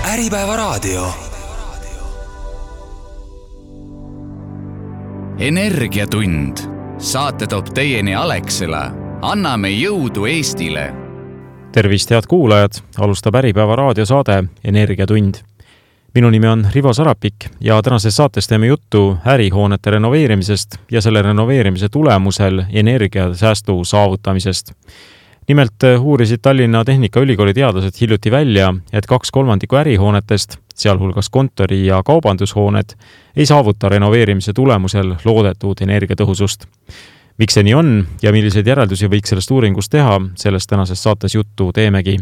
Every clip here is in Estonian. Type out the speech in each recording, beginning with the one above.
Äripäevaraadio. Energiatund. Saate toob teieni Alexela. Anname jõudu Eestile. Tervist, head kuulajad! Alustab Äripäevaraadio saade Energiatund. Minu nimi on Rivo Sarapik ja tänases saates teeme juttu ärihoonete renoveerimisest ja selle renoveerimise tulemusel energiasäästu saavutamisest. Nimelt uurisid Tallinna Tehnikaülikooli teadlased hiljuti välja, et 2/3 ärihoonetest, sealhulgas kontori- ja kaubandushooned, ei saavuta renoveerimise tulemusel loodetud energiatõhusust. Miks see nii on ja milliseid järeldusi võiks sellest uuringust teha, sellest tänases saates juttu teemegi.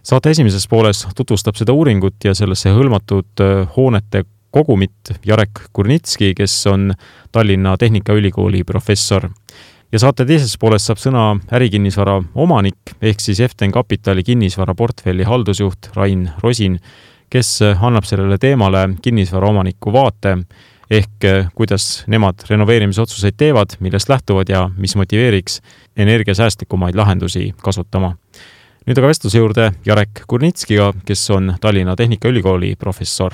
Saate esimeses pooles tutvustab seda uuringut ja sellesse hõlmatud hoonete kogumit Jarek Kurnitski, kes on Tallinna Tehnikaülikooli professor. Ja saate teises pooles saab sõna ärikinnisvara omanik ehk siis Eften Kapitali kinnisvara portfelli haldusjuht Rain Rosin, kes annab sellele teemale kinnisvara omaniku vaate ehk kuidas nemad renoveerimisotsuseid teevad, millest lähtuvad ja mis motiveeriks energiasäästlikumaid lahendusi kasutama. Nüüd aga vestluse juurde Jarek Kurnitskiga, kes on Tallinna Tehnikaülikooli professor.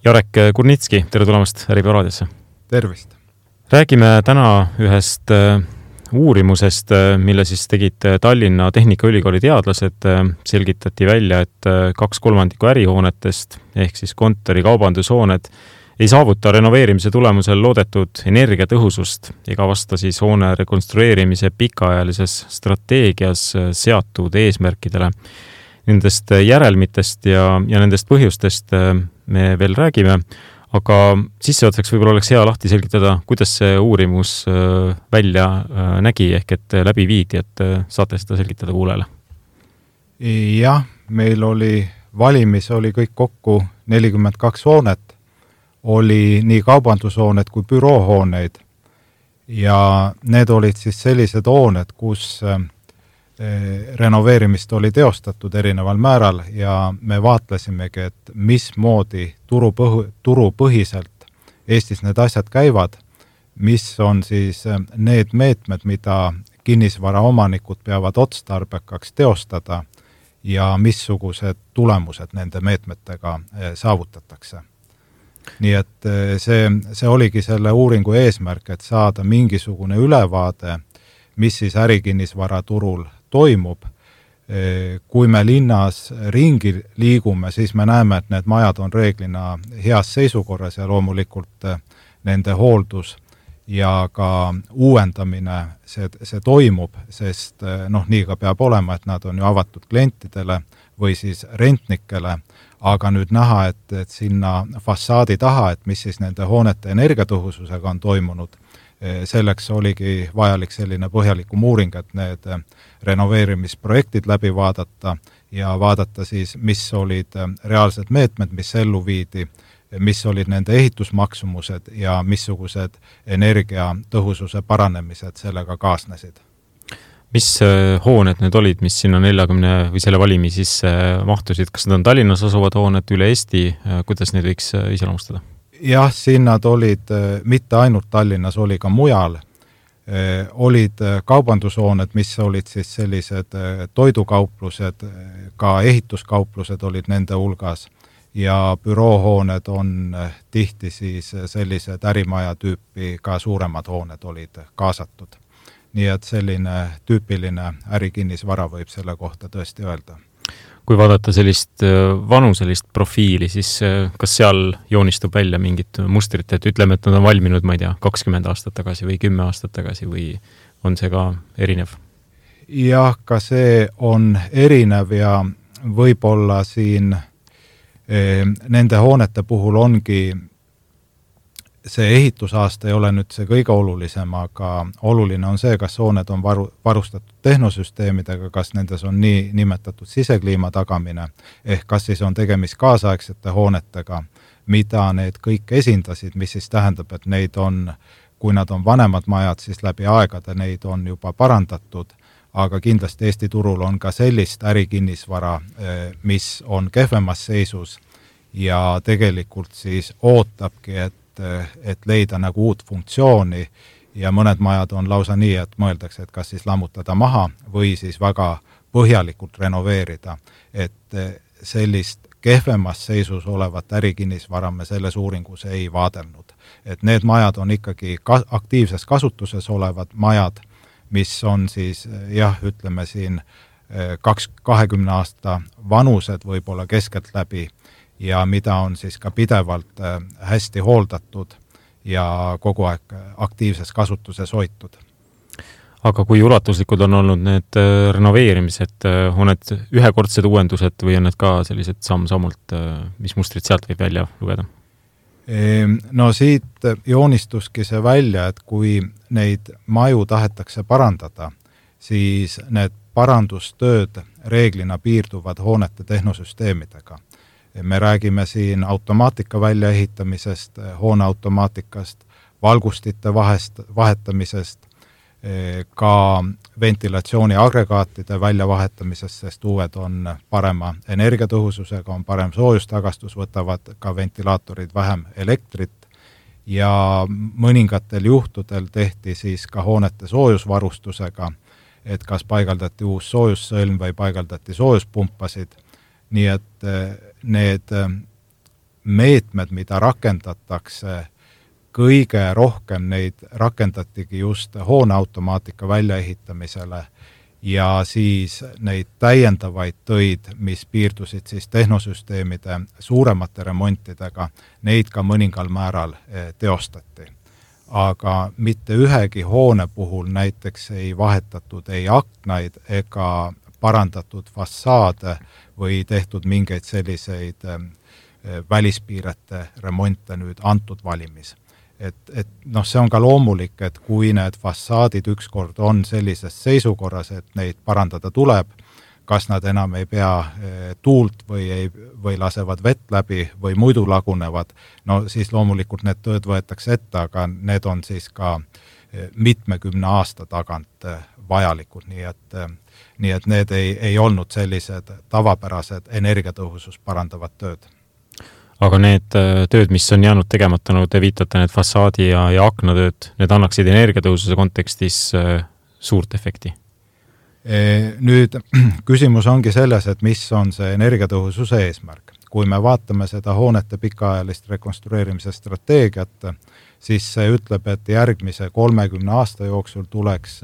Jarek Kurnitski, tere tulemast Äripäevaraadiosse. Tervist! Räägime täna ühest uurimusest, mille siis tegid Tallinna Tehnikaülikooli teadlased. Selgitati välja, et 2/3 ärihoonetest ehk siis kontori kaubandushooned ei saavuta renoveerimise tulemusel loodetud energiatõhusust ega vasta siis hoone rekonstrueerimise pikaajalises strateegias seatud eesmärkidele. Nendest järelmitest ja nendest põhjustest me veel räägime, aga sissejuhatuseks võib-olla oleks hea lahti selgitada, kuidas see uurimus välja nägi ehk et läbi viidi, et saate seda selgitada kuulele. Jah, meil valimis oli kõik kokku 42 hoonet. Oli nii kaubandushooned kui büroohooneid ja need olid siis sellised hooned, kus renoveerimist oli teostatud erineval määral ja me vaatlesimegi, et mismoodi turupõhiselt Eestis need asjad käivad, mis on siis need meetmed, mida kinnisvara omanikud peavad otstarbekaks teostada ja missugused tulemused nende meetmetega saavutatakse. Nii et see oligi selle uuringu eesmärk, et saada mingisugune ülevaade, mis siis ärikinnisvara turul toimub. Kui me linnas ringi liigume, siis me näeme, et need majad on reeglina heas seisukorras ja loomulikult nende hooldus ja ka uuendamine see toimub, sest nii ka peab olema, et nad on ju avatud klientidele või siis rentnikele, aga nüüd näha, et sinna fassaadi taha, et mis siis nende hoonete energiatõhususega on toimunud, selleks oligi vajalik selline põhjalikum uuring, et need renoveerimisprojektid läbi vaadata ja vaadata siis, mis olid reaalsed meetmed, mis ellu viidi, mis olid nende ehitusmaksumused ja missugused energiatõhususe paranemised sellega kaasnesid. Mis hooned need olid, mis sinna 40 või selle valimi sisse mahtusid? Kas need on Tallinnas asuvad hooned üle Eesti? Kuidas neid võiks iseloomustada? Jah, siin nad olid mitte ainult Tallinnas, oli ka mujal. Olid kaubandushooned, mis olid siis sellised toidukauplused, ka ehituskauplused olid nende hulgas ja büroohooned on tihti siis sellised ärimaja tüüpi, ka suuremad hooned olid kaasatud. Nii et selline tüüpiline ärikinnisvara võib selle kohta tõesti öelda. Kui vaadata sellist vanuselist profiili, siis kas seal joonistub välja mingit mustrit, et ütleme, et nad on valminud, ma ei tea, 20 aastat tagasi või 10 aastat tagasi või on see ka erinev? Jah, ka see on erinev ja võib-olla siin nende hoonete puhul ongi see ehitusaasta ei ole nüüd see kõige olulisem, aga oluline on see, kas hooned on varustatud tehnosüsteemidega, kas nendes on nii nimetatud sisekliima tagamine, ehk kas siis on tegemist kaasaegsete hoonetega, mida need kõik esindasid, mis siis tähendab, et neid on, kui nad on vanemad majad, siis läbi aegade neid on juba parandatud, aga kindlasti Eesti turul on ka sellist ärikinnisvara, mis on kehvemas seisus ja tegelikult siis ootabki, et leida nagu uut funktsiooni ja mõned majad on lausa nii, et mõeldakse, et kas siis lammutada maha või siis väga põhjalikult renoveerida, et sellist kehvemas seisus olevat ärikinnisvara me selles uuringus ei vaadelnud. Et need majad on ikkagi aktiivses kasutuses olevad majad, mis on siis ütleme siin 20 aasta vanused võib-olla keskeltläbi ja mida on siis ka pidevalt hästi hooldatud ja kogu aeg aktiivses kasutuses hoitud. Aga kui ulatuslikud on olnud need renoveerimised, on need ühekordsed uuendused või on need ka sellised samm-sammult, mis mustrid sealt võib välja lugeda? No siit joonistuski see välja, et kui neid maju tahetakse parandada, siis need parandustööd reeglina piirduvad hoonete tehnosüsteemidega. Me räägime siin automaatika väljaehitamisest, hoone automaatikast, valgustite vahetamisest, ka ventilatsiooniagregaatide väljavahetamisest, sest uued on parema energiatõhususega, on parem soojustagastus, võtavad ka ventilaatorid vähem elektrit ja mõningatel juhtudel tehti siis ka hoonete soojusvarustusega, et kas paigaldati uus soojussõlm või paigaldati soojuspumpasid, nii et need meetmed, mida rakendatakse, kõige rohkem neid rakendatigi just hooneautomaatika väljaehitamisele ja siis neid täiendavaid töid, mis piirdusid siis tehnosüsteemide suuremate remontidega, neid ka mõningal määral teostati. Aga mitte ühegi hoone puhul näiteks ei vahetatud ei aknaid ega parandatud fassaade või tehtud mingeid selliseid välispiirete remonte nüüd antud valimis. See on ka loomulik, et kui need fassaadid ükskord on sellises seisukorras, et neid parandada tuleb, kas nad enam ei pea tuult või lasevad vett läbi või muidu lagunevad, siis loomulikult need tööd võetakse ette, aga need on siis ka mitmekümne aasta tagant vajalikud, nii et need ei olnud sellised tavapärased energiatõhusust parandavad tööd. Aga need tööd, mis on jäänud tegemata, te viitate need fassaadi ja aknatööd, need annaksid energiatõhususe kontekstis suurt efekti? Nüüd küsimus ongi selles, et mis on see energiatõhususe eesmärk. Kui me vaatame seda hoonete pikaajalist rekonstrueerimise strateegiat, siis see ütleb, et järgmise 30 aasta jooksul tuleks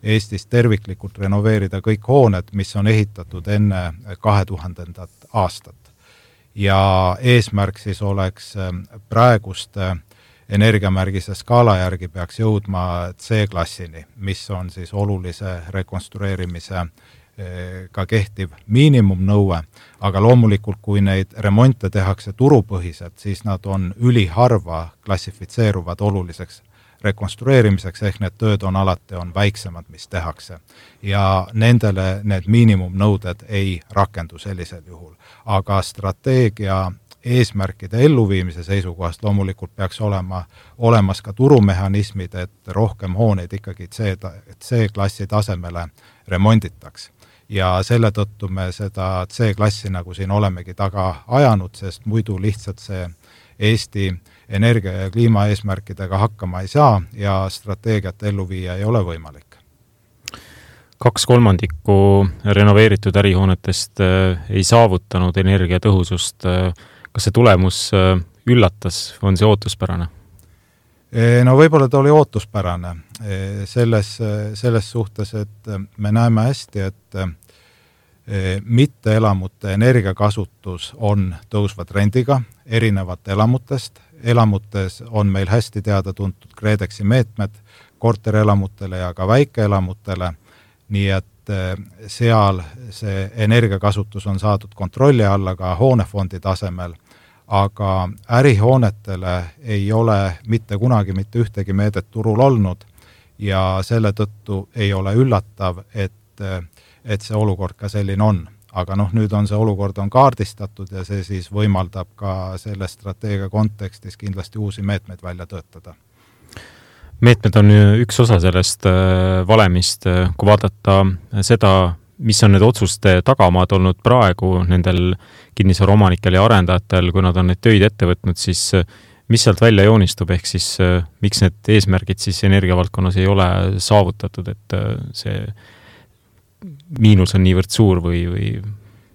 Eestis terviklikult renoveerida kõik hooned, mis on ehitatud enne 2000. aastat. Ja eesmärk siis oleks praeguste energiamärgise skaala järgi peaks jõudma C-klassini, mis on siis olulise rekonstrueerimise ka kehtiv miinimumnõue, aga loomulikult kui neid remonte tehakse turupõhiselt, siis nad on üliharva klassifitseeruvad oluliseks rekonstrueerimiseks, ehk need tööd on alati väiksemad, mis tehakse. Ja nendele need miinimumnõuded ei rakendu sellisel juhul. Aga strateegia eesmärkide elluviimise seisukohast loomulikult peaks olema olemas ka turumehhanismid, et rohkem hooneid ikkagi C-klassi tasemele remonditaks. Ja selle tõttu me seda C-klassi nagu siin olemegi taga ajanud, sest muidu lihtsalt see Eesti energia- ja kliimaeesmärkidega hakkama ei saa ja strateegiat ellu viia ei ole võimalik. 2/3 renoveeritud ärihoonetest ei saavutanud energiatõhusust. Kas see tulemus üllatas, on see ootuspärane? No võib-olla ta oli ootuspärane selles suhtes, et me näeme hästi, et mitteelamute energiakasutus on tõusva trendiga erinevate elamutest. Elamutes on meil hästi teada tuntud KredExi meetmed korterelamutele ja ka väikeelamutele, nii et seal see energiakasutus on saadud kontrolli alla ka hoonefondi tasemel, aga ärihoonetele ei ole mitte kunagi mitte ühtegi meedet turul olnud ja selle tõttu ei ole üllatav, et see olukord ka selline on. Aga nüüd on see olukord kaardistatud ja see siis võimaldab ka selle strateegia kontekstis kindlasti uusi meetmeid välja töötada. Meetmed on üks osa sellest valemist, kui vaadata seda, mis on need otsuste tagamaad olnud praegu nendel kinnisvaraomanikel ja arendajatel, kui nad on neid töid ette võtnud, siis mis sealt välja joonistub, ehk siis miks need eesmärgid siis energiavaldkonnas ei ole saavutatud, et see miinus on niivõrd suur või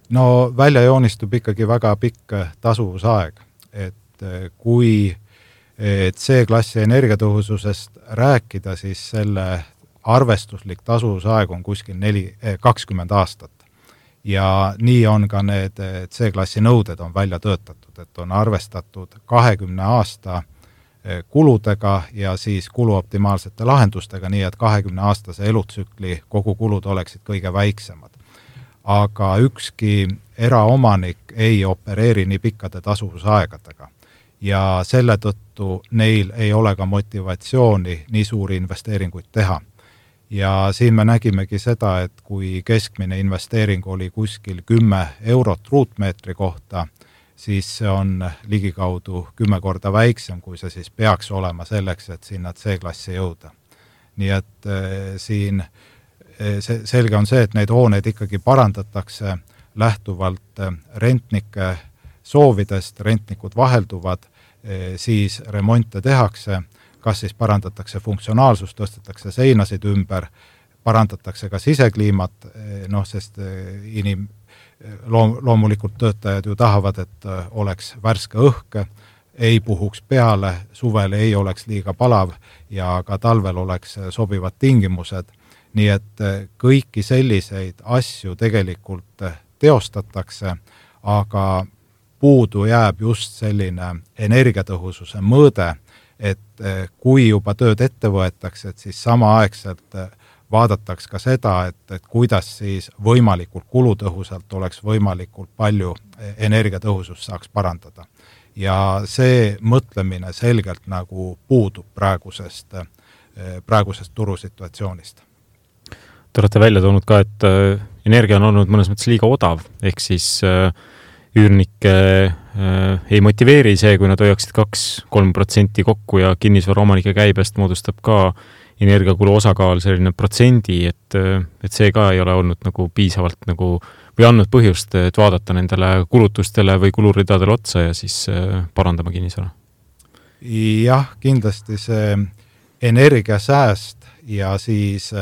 No välja joonistub ikkagi väga pikk tasuvusaeg, et kui C-klassi energiatõhususest rääkida, siis selle arvestuslik tasuvusaeg on kuskil 20 aastat. Ja nii on ka need C-klassi nõuded on välja töötatud, et on arvestatud 20 aasta kuludega ja siis kuluoptimaalsete lahendustega, nii et 20-aastase elutsükli kogukulud oleksid kõige väiksemad. Aga ükski eraomanik ei opereeri nii pikkade tasuvusaegadega ja selle tõttu neil ei ole ka motivatsiooni nii suuri investeeringuid teha. Ja siin me nägimegi seda, et kui keskmine investeering oli kuskil 10 eurot ruutmeetri kohta, siis see on ligikaudu 10 korda väiksem, kui see siis peaks olema selleks, et sinna C-klassi jõuda. Nii et siin selge on see, et neid hooneid ikkagi parandatakse lähtuvalt rentnike soovidest, rentnikud vahelduvad, siis remonte tehakse, kas siis parandatakse funktsionaalsust, tõstetakse seinasid ümber, parandatakse ka sisekliimat, sest loomulikult töötajad ju tahavad, et oleks värske õhk, ei puhuks peale, suvel ei oleks liiga palav ja ka talvel oleks sobivad tingimused. Nii et kõiki selliseid asju tegelikult teostatakse, aga puudu jääb just selline energiatõhususe mõõde, et kui juba tööd ette võetakse, et siis samaaegselt vaadataks ka seda, et kuidas siis võimalikult kulutõhusalt oleks võimalikult palju energiatõhusust saaks parandada. Ja see mõtlemine selgelt nagu puudub praegusest turusituatsioonist. Te olete välja toonud ka, et energia on olnud mõnes mõttes liiga odav, ehk siis üürnikke ei motiveeri see, kui nad hoiaksid 2-3% kokku ja kinnisvaraomanike käibest moodustab ka energiakulu osakaal selline protsendi, et see ka ei ole olnud nagu piisavalt nagu, või andnud põhjust, et vaadata nendele kulutustele või kuluridadele otsa ja siis parandama kinnisvara. Jah, kindlasti see energiasääst ja siis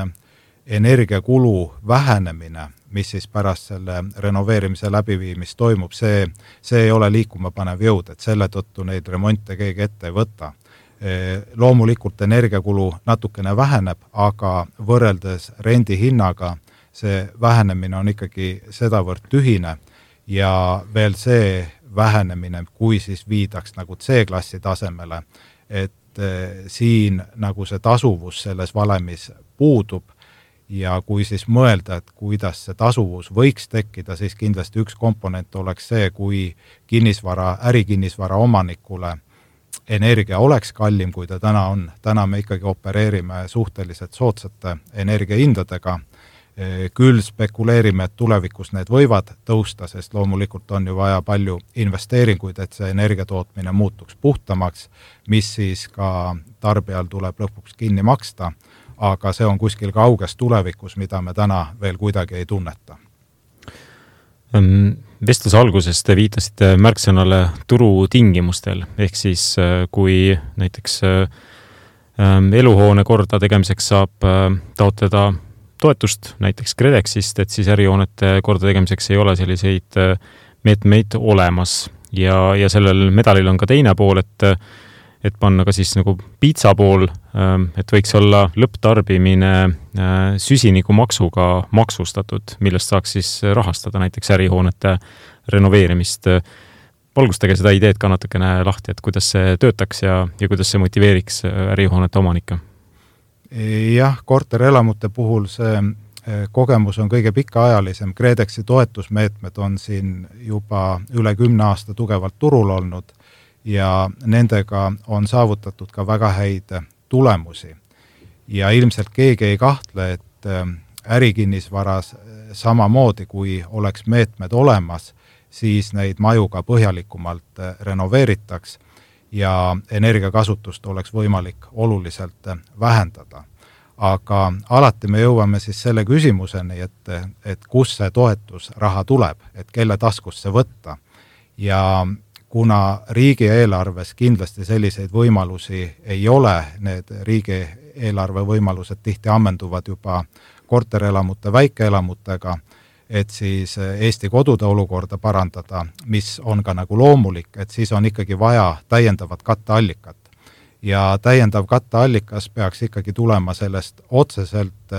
energiakulu vähenemine, mis siis pärast selle renoveerimise läbiviimist toimub, see ei ole liikuma panev jõud, et selle tõttu neid remonte keegi ette ei võta. Loomulikult energiakulu natukene väheneb, aga võrreldes rendihinnaga see vähenemine on ikkagi sedavõrd tühine ja veel see vähenemine, kui siis viidaks nagu C-klassi tasemele, et siin nagu see tasuvus selles valemis puudub. Ja kui siis mõelda, et kuidas see tasuvus võiks tekkida, siis kindlasti üks komponent oleks see, kui ärikinnisvara omanikule energia oleks kallim, kui ta täna on. Täna me ikkagi opereerime suhteliselt soodsate energiahindadega. Küll spekuleerime, et tulevikus need võivad tõusta, sest loomulikult on ju vaja palju investeeringuid, et see energiatootmine muutuks puhtamaks, mis siis ka tarbijal tuleb lõpuks kinni maksta. Aga see on kuskil kauges tulevikus, mida me täna veel kuidagi ei tunneta. Vestluse alguses te viitasite märksõnale turutingimustel, ehk siis kui näiteks eluhoone korda tegemiseks saab taotleda toetust näiteks KredExist, et siis ärihoonete korda tegemiseks ei ole selliseid meetmeid olemas ja sellel medalil on ka teine pool, et panna ka siis nagu piitsa pool, et võiks olla lõpptarbimine süsinikumaksuga maksustatud, millest saaks siis rahastada näiteks ärihoonete renoveerimist. Valgustage seda ideed ka natukene lahti, et kuidas see töötaks ja kuidas see motiveeriks ärihoonete omanikke. Jah, korterelamute puhul see kogemus on kõige pikaajalisem. KredExi toetusmeetmed on siin juba üle 10 aasta tugevalt turul olnud ja nendega on saavutatud ka väga häid tulemusi. Ja ilmselt keegi ei kahtle, et ärikinnisvaras samamoodi, kui oleks meetmed olemas, siis neid maju ka põhjalikumalt renoveeritaks ja energiakasutust oleks võimalik oluliselt vähendada. Aga alati me jõuame siis selle küsimuseni, et kus see toetusraha tuleb, et kelle taskust see võtta. Ja kuna riigieelarves kindlasti selliseid võimalusi ei ole, need riigieelarve võimalused tihti ammenduvad juba korterelamute, väikeelamutega, et siis Eesti kodude olukorda parandada, mis on ka nagu loomulik, et siis on ikkagi vaja täiendavat katteallikat. Ja täiendav katteallikas peaks ikkagi tulema sellest otseselt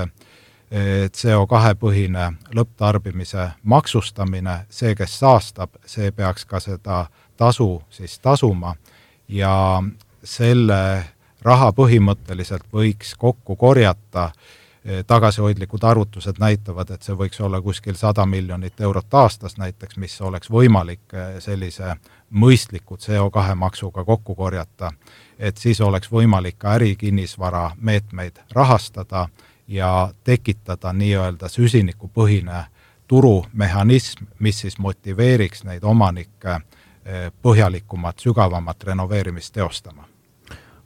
CO2-põhine lõpptarbimise maksustamine, see, kes saastab, see peaks ka seda tasu siis tasuma ja selle raha põhimõtteliselt võiks kokku korjata. Tagasihoidlikud arvutused näitavad, et see võiks olla kuskil 100 miljonit eurot aastas näiteks, mis oleks võimalik sellise mõistliku CO2 maksuga kokku korjata, et siis oleks võimalik ka ärikinnisvara meetmeid rahastada ja tekitada nii-öelda süsinikupõhine turumehhanism, mis siis motiveeriks neid omanikke põhjalikumat, sügavamat renoveerimist teostama.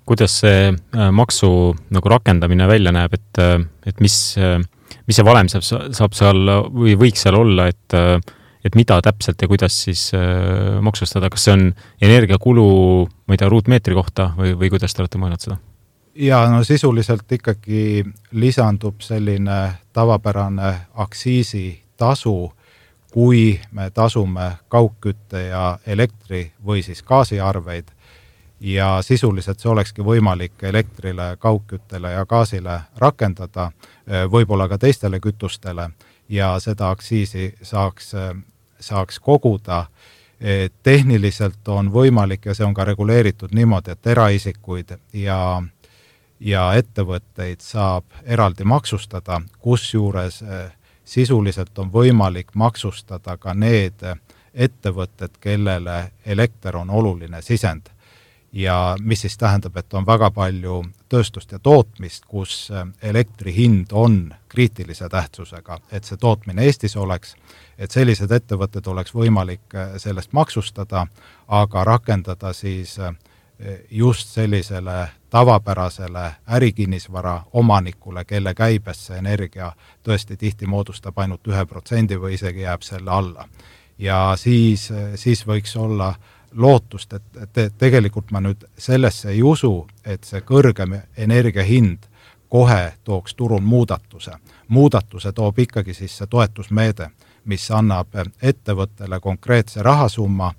Kuidas see maksu nagu rakendamine välja näeb, et mis see valem saab seal või võiks seal olla, et mida täpselt ja kuidas siis maksustada? Kas see on energiakulu, ma ei tea, ruutmeetri kohta või kuidas te olete mõelnud seda? Ja no sisuliselt ikkagi lisandub selline tavapärane aktsiisitasu, kui me tasume kaugkütte ja elektri või siis gaasiarveid ja sisuliselt see olekski võimalik elektrile, kaugküttele ja gaasile rakendada, võib-olla ka teistele kütustele ja seda aktsiisi saaks koguda. Tehniliselt on võimalik ja see on ka reguleeritud niimoodi, et eraisikuid ja ettevõtteid saab eraldi maksustada, kusjuures sisuliselt on võimalik maksustada ka need ettevõtted, kellele elekter on oluline sisend. Ja mis siis tähendab, et on väga palju tööstust ja tootmist, kus elektri hind on kriitilise tähtsusega, et see tootmine Eestis oleks, et sellised ettevõtted oleks võimalik sellest maksustada, aga rakendada siis just sellisele tavapärasele ärikinnisvara omanikule, kelle käibesse energia tõesti tihti moodustab ainult 1% või isegi jääb selle alla. Ja siis võiks olla lootust, et tegelikult ma nüüd sellesse ei usu, et see kõrgem energiahind kohe tooks turul muudatuse. Muudatuse toob ikkagi siis see toetusmeede, mis annab ettevõttele konkreetse rahasumma,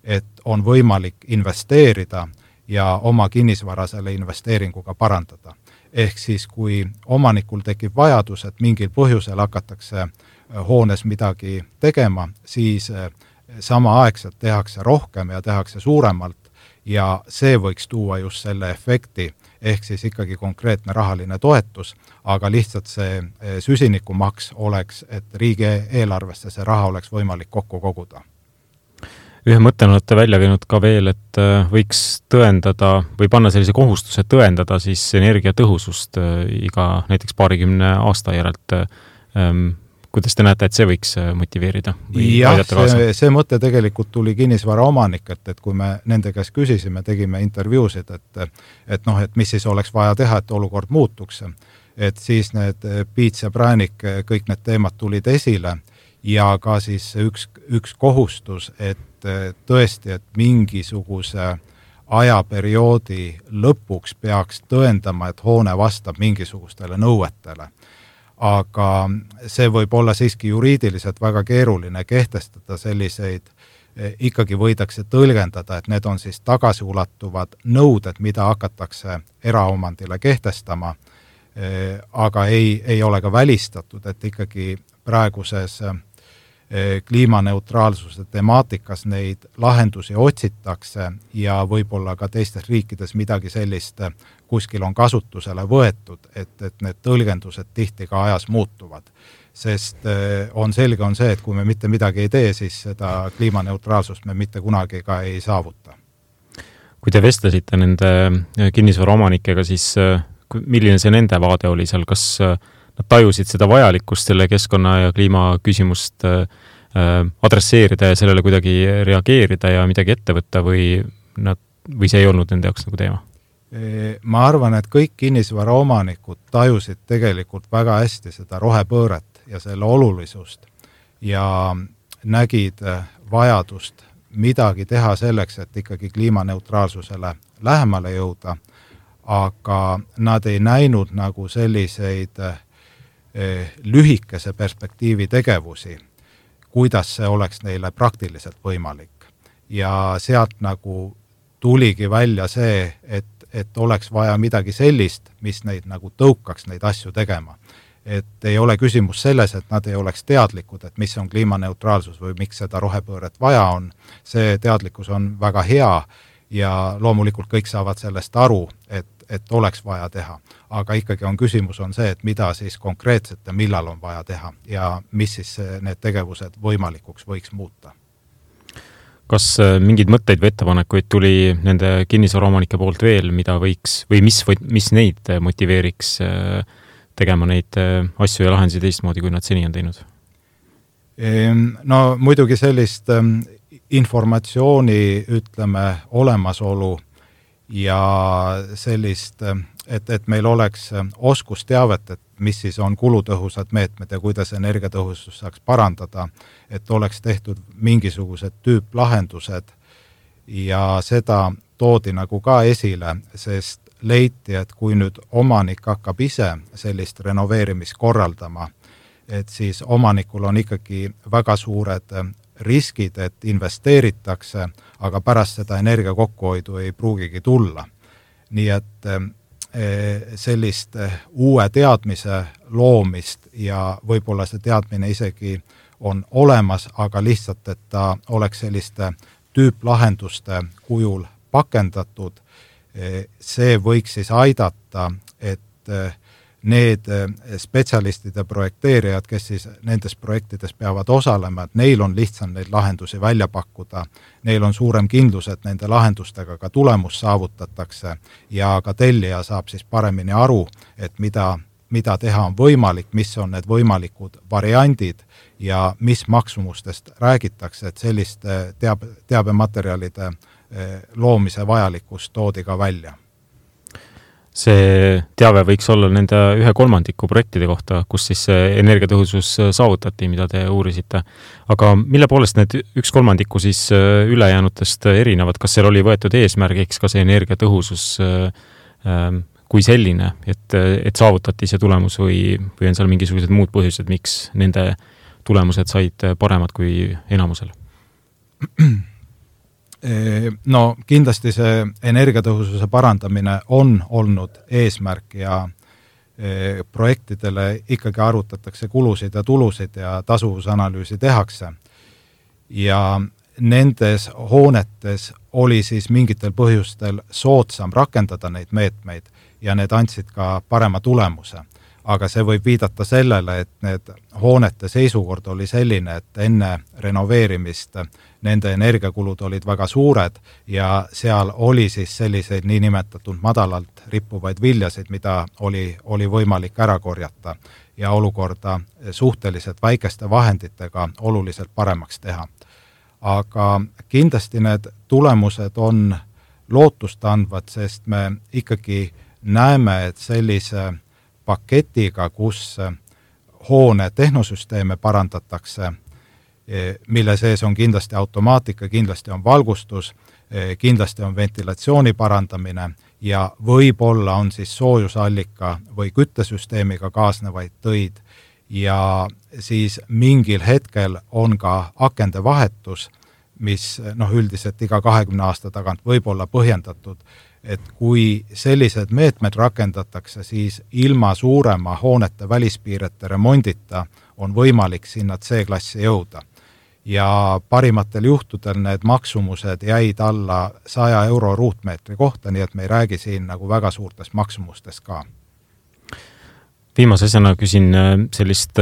et on võimalik investeerida ja oma kinnisvara selle investeeringuga parandada. Ehk siis, kui omanikul tekib vajadus, et mingil põhjusel hakatakse hoones midagi tegema, siis samaaegselt tehakse rohkem ja tehakse suuremalt ja see võiks tuua just selle efekti, ehk siis ikkagi konkreetne rahaline toetus, aga lihtsalt see süsinikumaks oleks, et riigieelarvesse see raha oleks võimalik kokku koguda. Ühe mõttena olete välja käinud ka veel, et võiks tõendada või panna sellise kohustuse tõendada siis energiatõhusust iga näiteks 20 aasta järelt. Kuidas te näete, et see võiks motiveerida? Jah, see mõte tegelikult tuli kinnisvara omanikelt, et kui me nende käest küsisime, tegime intervjuusid, et mis siis oleks vaja teha, et olukord muutuks, et siis need piits ja präänik, kõik need teemad tulid esile ja ka siis üks kohustus, et tõesti, et mingisuguse ajaperioodi lõpuks peaks tõendama, et hoone vastab mingisugustele nõuetele. Aga see võib olla siiski juriidiliselt väga keeruline kehtestada selliseid, ikkagi võidakse tõlgendada, et need on siis tagasiulatuvad nõuded, mida hakatakse eraomandile kehtestama, aga ei ole ka välistatud, et ikkagi praeguses kliimaneutraalsuse temaatikas neid lahendusi otsitakse ja võib-olla ka teistes riikides midagi sellist kuskil on kasutusele võetud, et need tõlgendused tihti ka ajas muutuvad. Sest on selge see, et kui me mitte midagi ei tee, siis seda kliimaneutraalsust me mitte kunagi ka ei saavuta. Kui te vestlesite nende kinnisvara omanikega, siis milline see nende vaade oli seal? Kas nad tajusid seda vajalikkust selle keskkonna ja kliima küsimust adresseerida ja sellele kuidagi reageerida ja midagi ette võtta või see ei olnud nende jaoks nagu teema? Ma arvan, et kõik kinnisvara omanikud tajusid tegelikult väga hästi seda rohepööret ja selle olulisust ja nägid vajadust midagi teha selleks, et ikkagi kliimaneutraalsusele lähemale jõuda, aga nad ei näinud nagu selliseid lühikese perspektiivi tegevusi, kuidas see oleks neile praktiliselt võimalik. Ja sealt nagu tuligi välja see, et oleks vaja midagi sellist, mis neid nagu tõukaks neid asju tegema. Et ei ole küsimus selles, et nad ei oleks teadlikud, et mis on kliimaneutraalsus või miks seda rohepööret vaja on. See teadlikkus on väga hea ja loomulikult kõik saavad sellest aru, et oleks vaja teha. Aga ikkagi on küsimus on see, et mida siis konkreetselt ja millal on vaja teha ja mis siis need tegevused võimalikuks võiks muuta. Kas mingeid mõtteid või ettepanekuid tuli nende kinnisvaraomanike poolt veel, mida võiks või mis neid motiveeriks tegema neid asju ja lahendusi teistmoodi, kui nad seni on teinud? No muidugi sellist informatsiooni, ütleme, olemasolu ja sellist, et meil oleks oskusteavet, et mis siis on kulutõhusad meetmed ja kuidas energiatõhusus saaks parandada, et oleks tehtud mingisugused tüüplahendused ja seda toodi nagu ka esile, sest leiti, et kui nüüd omanik hakkab ise sellist renoveerimist korraldama, et siis omanikul on ikkagi väga suured riskid, et investeeritakse, aga pärast seda energia kokkuhoidu ei pruugigi tulla. Nii et sellist uue teadmise loomist ja võib-olla see teadmine isegi on olemas, aga lihtsalt, et ta oleks selliste tüüplahenduste kujul pakendatud, see võiks siis aidata, et need spetsialistid ja projekteerijad, kes siis nendes projektides peavad osalema, et neil on lihtsam neid lahendusi välja pakkuda, neil on suurem kindlus, et nende lahendustega ka tulemus saavutatakse ja ka tellija saab siis paremini aru, et mida teha on võimalik, mis on need võimalikud variandid ja mis maksumustest räägitakse, et selliste teabematerjalide loomise vajalikkus toodi ka välja. See teave võiks olla nende 1/3 projektide kohta, kus siis energiatõhusus saavutati, mida te uurisite. Aga mille poolest need 1/3 siis ülejäänutest erinevad? Kas seal oli võetud eesmärgiks ka see energiatõhusus kui selline, et saavutati see tulemus või on seal mingisugused muud põhjused, miks nende tulemused said paremad kui enamusel? No kindlasti see energiatõhususe parandamine on olnud eesmärk ja projektidele ikkagi arvutatakse kulusid ja tulusid ja tasuvusanalüüsi tehakse. Ja nendes hoonetes oli siis mingitel põhjustel soodsam rakendada neid meetmeid ja need andsid ka parema tulemuse. Aga see võib viidata sellele, et need hoonete seisukord oli selline, et enne renoveerimist nende energiakulud olid väga suured ja seal oli siis selliseid niinimetatud madalalt rippuvaid viljasid, mida oli võimalik ära korjata ja olukorda suhteliselt väikeste vahenditega oluliselt paremaks teha. Aga kindlasti need tulemused on lootust andvad, sest me ikkagi näeme, et sellise paketiga, kus hoone tehnosüsteeme parandatakse, mille sees on kindlasti automaatika, kindlasti on valgustus, kindlasti on ventilatsiooni parandamine ja võib-olla on siis soojusallika või küttesüsteemiga kaasnevaid töid ja siis mingil hetkel on ka akende vahetus, mis üldiselt iga 20 aasta tagant võib olla põhjendatud, et kui sellised meetmed rakendatakse, siis ilma suurema hoonete välispiirete remondita on võimalik sinna C-klassi jõuda. Ja parimatel juhtudel need maksumused jäid alla 100 euro ruutmeetri kohta, nii et me ei räägi siin nagu väga suurtest maksumustest ka. Viimase asjana küsin sellist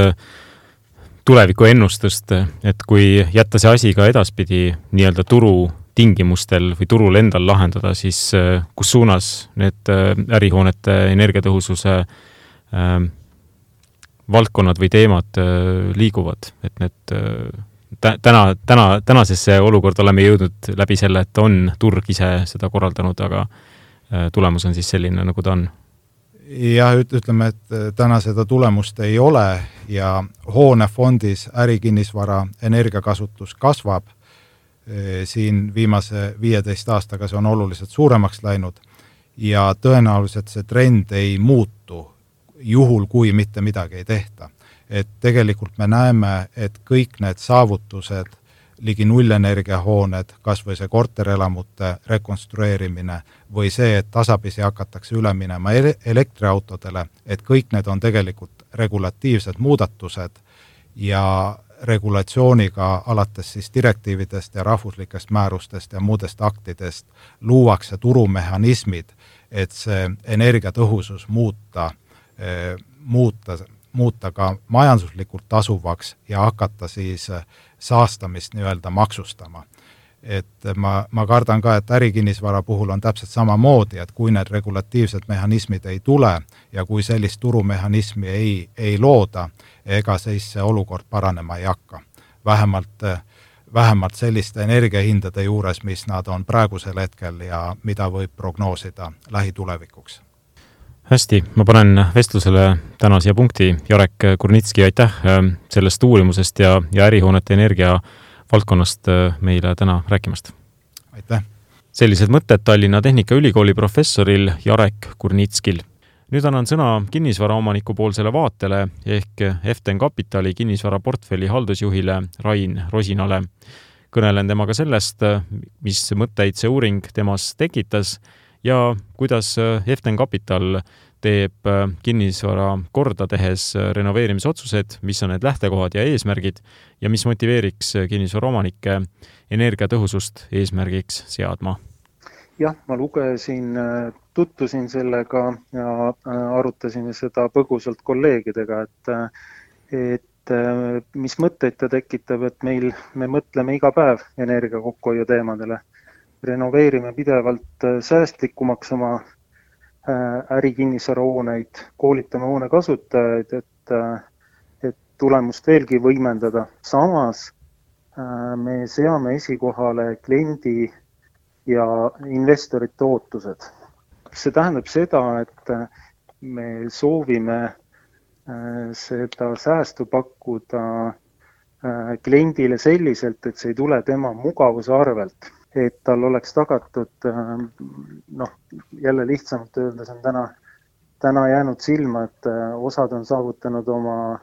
tuleviku ennustust, et kui jätta see asi ka edaspidi nii-öelda turu tingimustel või turul endal lahendada, siis kus suunas need ärihoonete energiatõhususe valdkonnad või teemad liiguvad, et need tänasesse olukorda oleme jõudnud läbi selle, et on turg ise seda korraldanud, aga tulemus on siis selline, nagu ta on. Ja ütleme, et täna seda tulemust ei ole ja hoonefondis ärikinnisvara energiakasutus kasvab. Siin viimase 15 aastaga see on oluliselt suuremaks läinud ja tõenäoliselt see trend ei muutu juhul, kui mitte midagi ei tehta. et tegelikult me näeme, et kõik need saavutused, ligi nullenergiahooned, kas või see korterelamute rekonstrueerimine või see, et tasapisi hakatakse üle minema elektriautodele, et kõik need on tegelikult regulatiivsed muudatused ja regulatsiooniga alates siis direktiividest ja rahvuslikest määrustest ja muudest aktidest luuakse turumehhanismid, et see energiatõhusus muuta ka majanduslikult tasuvaks ja hakata siis saastamist nii-öelda maksustama. Et ma kardan ka, et ärikinnisvara puhul on täpselt samamoodi, et kui need regulatiivsed mehhanismid ei tule ja kui sellist turumehhanismi ei looda, ega siis see olukord paranema ei hakka. Vähemalt selliste energiahindade juures, mis nad on praegusel hetkel ja mida võib prognoosida lähitulevikuks. Hästi, ma panen vestlusele täna siia punkti. Jarek Kurnitski, aitäh sellest uurimusest ja ärihoonete energia valdkonnast meile täna rääkimast. Aitäh! Sellised mõtted Tallinna Tehnikaülikooli professoril Jarek Kurnitskil. Nüüd annan sõna kinnisvaraomaniku poolsele vaatele ehk Eften Kapitali kinnisvaraportfelli haldusjuhile Rain Rosinale. Kõnelen temaga sellest, mis mõtteid see uuring temas tekitas ja kuidas Eften Kapital teeb kinnisvara korda tehes renoveerimisotsused, mis on need lähtekohad ja eesmärgid ja mis motiveeriks kinnisvaraomanikke energiatõhusust eesmärgiks seadma. Jah, ma tutvusin sellega ja arutasime seda põgusalt kolleegidega, et mis mõtteid ta tekitab, et me mõtleme iga päev energia kokkuhoiu teemadele. Renoveerime pidevalt säästlikumaks oma ärikinnisvarahooneid, koolitame hoone kasutajaid, et tulemust veelgi võimendada. Samas me seame esikohale kliendi ja investorite ootused. See tähendab seda, et me soovime seda säästu pakkuda kliendile selliselt, et see ei tule tema mugavuse arvelt. Et tal oleks tagatud, jälle lihtsamalt öeldes on täna jäänud silma, et osad on saavutanud oma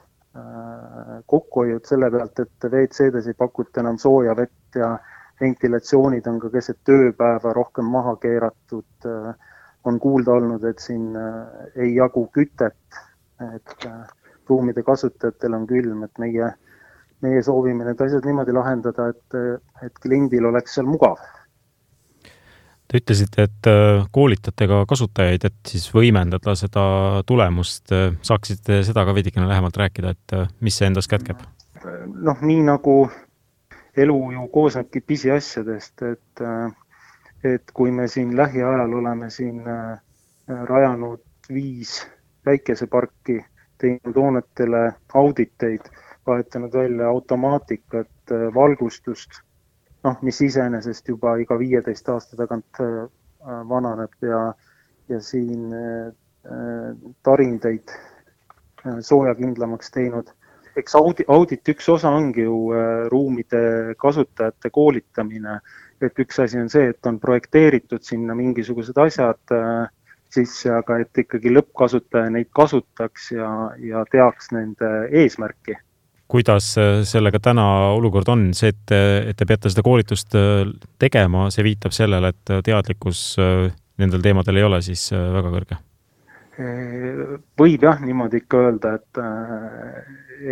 kokkuhoiud selle pealt, et WC-des ei pakuta enam sooja vett ja ventilatsioonid on ka keset tööpäeva rohkem maha keeratud. On kuulda olnud, et siin ei jagu kütet, et ruumide kasutajatel on külm, et meie soovime need asjad niimoodi lahendada, et kliendil oleks seal mugav. Te ütlesite, et koolitate ka kasutajaid, et siis võimendada seda tulemust. Saaksite seda ka veidikene lähemalt rääkida, et mis see endas kätkeb? Nii nagu elu ju koosnebki pisiasjadest, et kui me siin lähiajal oleme siin rajanud 5 väikeseparki, teinud hoonetele auditeid, vahetanud välja automaatikat, valgustust, mis iseenesest juba iga 15 aasta tagant vananeb ja siin tarindeid soojakindlamaks teinud. Eks audit üks osa ongi ju ruumide kasutajate koolitamine, et üks asi on see, et on projekteeritud sinna mingisugused asjad sisse, aga et ikkagi lõppkasutaja neid kasutaks ja teaks nende eesmärki. Kuidas sellega täna olukord on? See, et te peate seda koolitust tegema, see viitab sellele, et teadlikkus nendel teemadel ei ole siis väga kõrge? Võib jah niimoodi ikka öelda,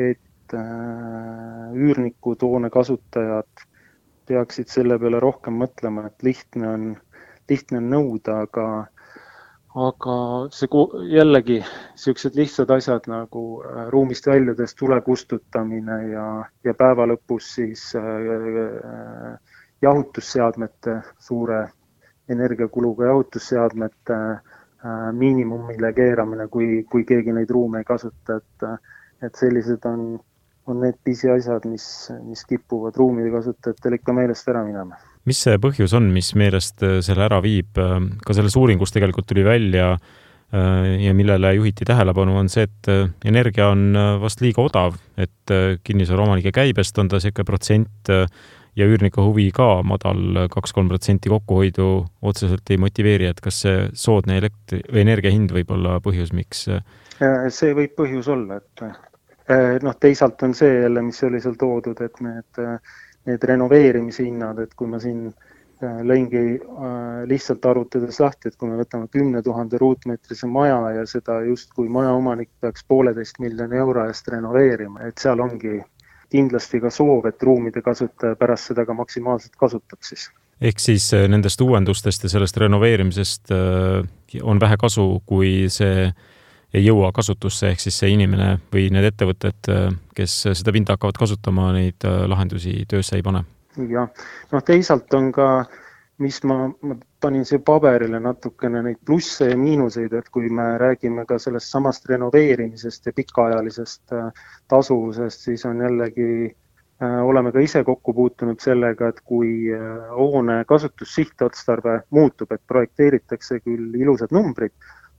et üürnikud, hoone kasutajad peaksid selle peale rohkem mõtlema, et lihtne on nõuda, aga see jällegi sellised lihtsad asjad nagu ruumist väljudes tule kustutamine ja päeva lõpus siis jahutusseadmete, suure energiakuluga jahutusseadmete miinimumile keeramine, kui keegi neid ruume ei kasuta, et sellised on need pisiasjad, mis kippuvad ruumide kasutajatel ikka meelest ära minema. Mis see põhjus on, mis meelest selle ära viib? Ka selles uuringus tegelikult tuli välja ja millele juhiti tähelepanu on see, et energia on vast liiga odav, et kinnisvaraomanike käibest on ta selline protsent ja üürniku huvi ka madal 2-3% kokkuhoidu otseselt ei motiveeri, et kas see soodne energia hind võib olla põhjus, miks? See võib põhjus olla, Teisalt on see jälle, mis oli seal toodud, et need renoveerimise hinnad, et kui ma siin lõingi lihtsalt arvutades lahti, et kui me võtame 10 000 ruutmeetrise maja ja seda just kui majaomanik peaks 1,5 miljoni euro eest renoveerima, et seal ongi kindlasti ka soov, et ruumide kasutaja pärast seda ka maksimaalselt kasutab siis. Ehk siis nendest uuendustest ja sellest renoveerimisest on vähe kasu, kui see ei jõua kasutusse, ehk siis see inimene või need ettevõtted, kes seda pinda hakkavad kasutama, neid lahendusi töösse ei pane. Ja, teisalt on ka, mis ma panin siia paberile natukene neid plusse ja miinuseid, et kui me räägime ka sellest samast renoveerimisest ja pikaajalisest tasuvusest, siis on jällegi oleme ka ise kokku puutunud sellega, et kui hoone kasutussihtotstarve muutub, et projekteeritakse küll ilusad numbrid,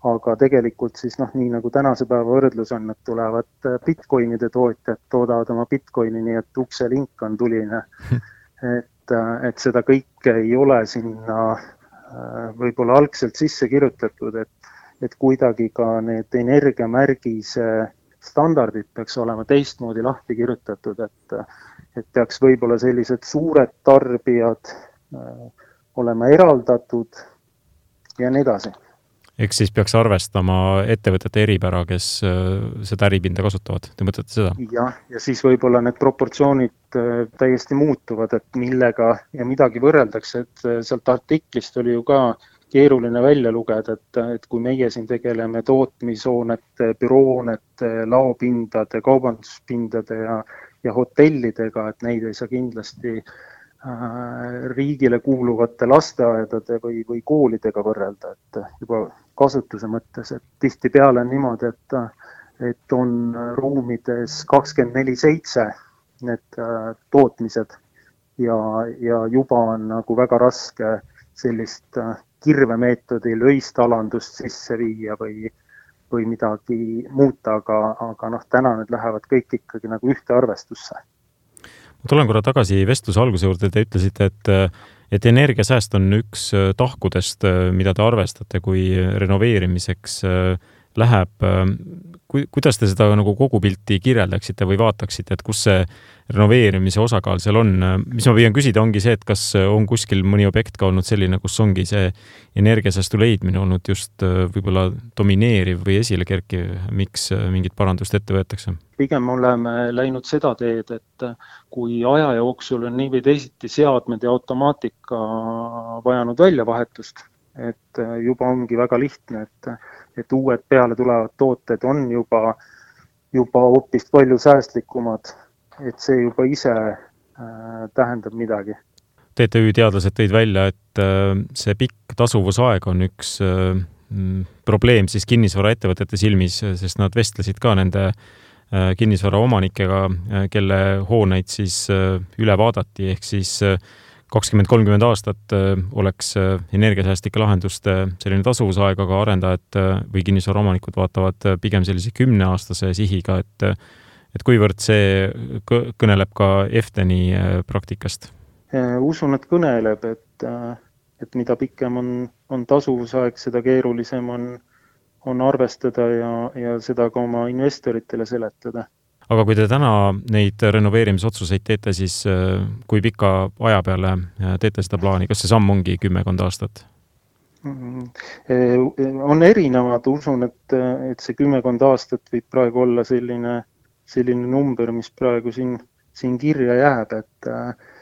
aga tegelikult siis nii nagu tänase päeva võrdlus on, et tulevad bitcoinide tootjad, toodavad oma bitcoini, nii et ukselink on tuline. Et seda kõike ei ole sinna võib-olla algselt sisse kirjutatud, et kuidagi ka need energiamärgise standardid peaks olema teistmoodi lahti kirjutatud, et peaks võib-olla sellised suured tarbijad olema eraldatud ja nii edasi. Eks siis peaks arvestama ettevõtete eripära, kes seda äripinda kasutavad. Te mõtlete seda? Ja siis võib-olla need proportsioonid täiesti muutuvad, et millega ja midagi võrreldakse, et sealt artiklist oli ju ka keeruline välja lugeda, et kui meie siin tegeleme tootmishoonete, büroonete, laopindade, kaubanduspindade ja hotellidega, et neid ei saa kindlasti riigile kuuluvate lasteaedade või koolidega võrrelda, et juba kasutuse mõttes, et tihtipeale on niimoodi, et on ruumides 24/7 need tootmised ja juba on nagu väga raske sellist kirvemeetodil öistalandust sisse viia või midagi muuta, aga täna need lähevad kõik ikkagi nagu ühte arvestusse. Ma tulen korra tagasi vestluse alguse juurde, te ütlesite, et energiasääst on üks tahkudest, mida te arvestate, kui renoveerimiseks läheb. Kuidas te seda nagu kogu pilti kirjeldaksite või vaataksite, et kus see renoveerimise osakaal seal on? Mis ma püüan küsida, ongi see, et kas on kuskil mõni objekt ka olnud selline, kus ongi see energiasäästu leidmine olnud just võib-olla domineeriv või esile kerkiv, miks mingit parandust ette võetakse? Pigem oleme läinud seda teed, et kui aja jooksul on nii või teisiti seadmed ja automaatika vajanud väljavahetust, et juba ongi väga lihtne, et uued peale tulevad tooted on juba hoopis palju säästlikumad, et see juba ise tähendab midagi. TTÜ teadlased tõid välja, et see pikk tasuvusaeg on üks probleem siis kinnisvaraettevõtete silmis, sest nad vestlesid ka nende kinnisvara omanikega, kelle hooneid siis üle vaadati, ehk siis 20-30 aastat oleks energiasäästlike lahenduste selline tasuvusaeg, aga arendajad või kinnisvara omanikud vaatavad pigem sellise 10-aastase sihiga, et kuivõrd see kõneleb ka EFTENi praktikast? Usun, et kõneleb, et mida pikem on tasuvusaeg, seda keerulisem on arvestada ja seda ka oma investoritele seletada. Aga kui te täna neid renoveerimisotsuseid teete, siis kui pika aja peale teete seda plaani? Kas see samm ongi 10 aastat? On erinevad. Usun, et see 10 aastat võib praegu olla selline number, mis praegu siin kirja jääb.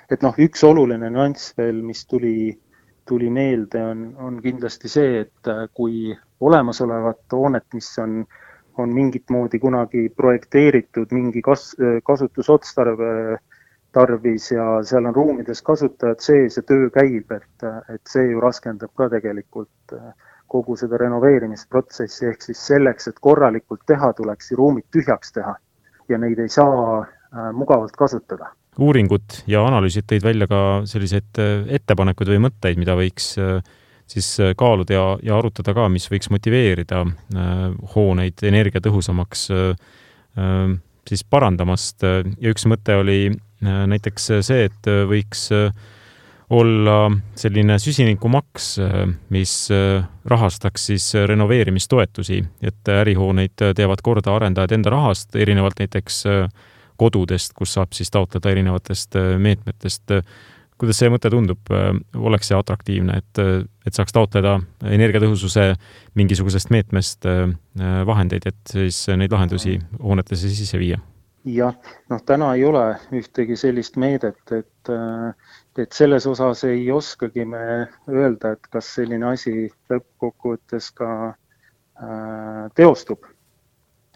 Et üks oluline nüanss veel, mis tuli meelde, on kindlasti see, et kui olemasolevat hoonet, mis on mingit moodi kunagi projekteeritud mingi kasutusotstarve tarvis ja seal on ruumides kasutajad sees ja töö käib, et see ju raskendab ka tegelikult kogu seda renoveerimisprotsessi, ehk siis selleks, et korralikult teha, tuleks ruumid tühjaks teha ja neid ei saa mugavalt kasutada. Uuringud ja analüüsid tõid välja ka selliseid ettepanekuid või mõtteid, mida võiks siis kaaluda ja arutada ka, mis võiks motiveerida hooneid energiatõhusamaks siis parandamast. Ja üks mõte oli näiteks see, et võiks olla selline süsinikumaks, mis rahastaks siis renoveerimistoetusi, et ärihooneid teevad korda arendajad enda rahast, erinevalt näiteks kodudest, kus saab siis taotleda erinevatest meetmetest. Kuidas see mõte tundub? Oleks see atraktiivne, et saaks taotleda energiatõhususe mingisugusest meetmest vahendeid, et siis neid lahendusi hoonetesse sisse viia? Jah, täna ei ole ühtegi sellist meedet, et selles osas ei oskagi me öelda, et kas selline asi lõppkokkuvõttes ka teostub.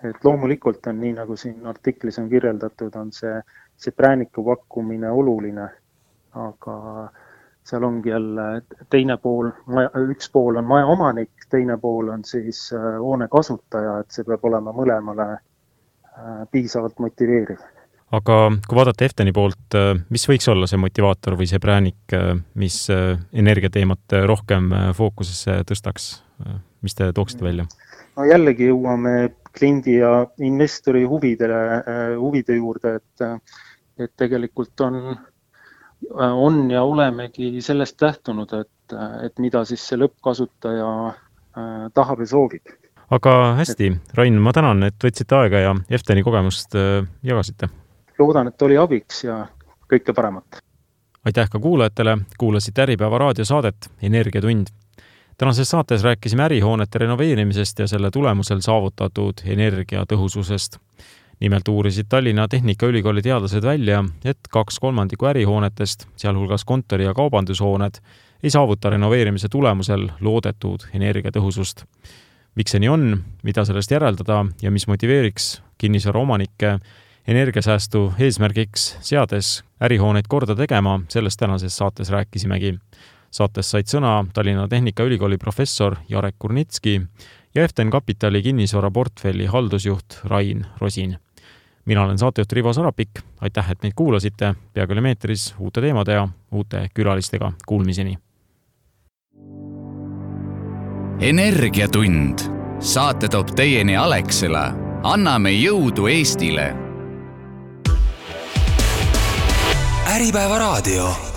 Et loomulikult on nii, nagu siin artiklis on kirjeldatud, on see prääniku pakkumine oluline, aga seal ongi jälle teine pool, üks pool on maja omanik, teine pool on siis hoone kasutaja, et see peab olema mõlemale piisavalt motiveeriv. Aga kui vaadata Efteni poolt, mis võiks olla see motivaator või see präänik, mis energiateemat rohkem fookusesse tõstaks? Mis te tooksite välja? No jällegi jõuame kliendi ja investori huvide juurde, et tegelikult on ja olemegi sellest lähtunud, et mida siis see lõppkasutaja tahab ja soovib. Aga hästi, Rain, ma tänan, et võtsite aega ja Efteni kogemust jagasite. Loodan, et oli abiks ja kõike paremat. Aitäh ka kuulajatele, kuulasite Äripäeva raadiosaadet Energiatund. Tänases saates rääkisime ärihoonete renoveerimisest ja selle tulemusel saavutatud energiatõhususest. Nimelt uurisid Tallinna Tehnikaülikooli teadlased välja, et 2/3 ärihoonetest, sealhulgas kontori- ja kaubandushooned, ei saavuta renoveerimise tulemusel loodetud energiatõhusust. Miks see nii on, mida sellest järeldada ja mis motiveeriks kinnisvara omanikke energiasäästu eesmärgiks seades ärihooneid korda tegema, sellest tänases saates rääkisimegi. Saates said sõna Tallinna Tehnikaülikooli professor Jarek Kurnitski ja Eften Kapitali kinnisvara portfelli haldusjuht Rain Rosin. Mina olen saatejuht Rivo Sarapik, aitäh, et meid kuulasite, peagi oleme eetris uute teemade ja uute külalistega. Kuulmiseni! Energiatund. Saate toob teieni Alexela. Anname jõudu Eestile. Äripäeva raadio.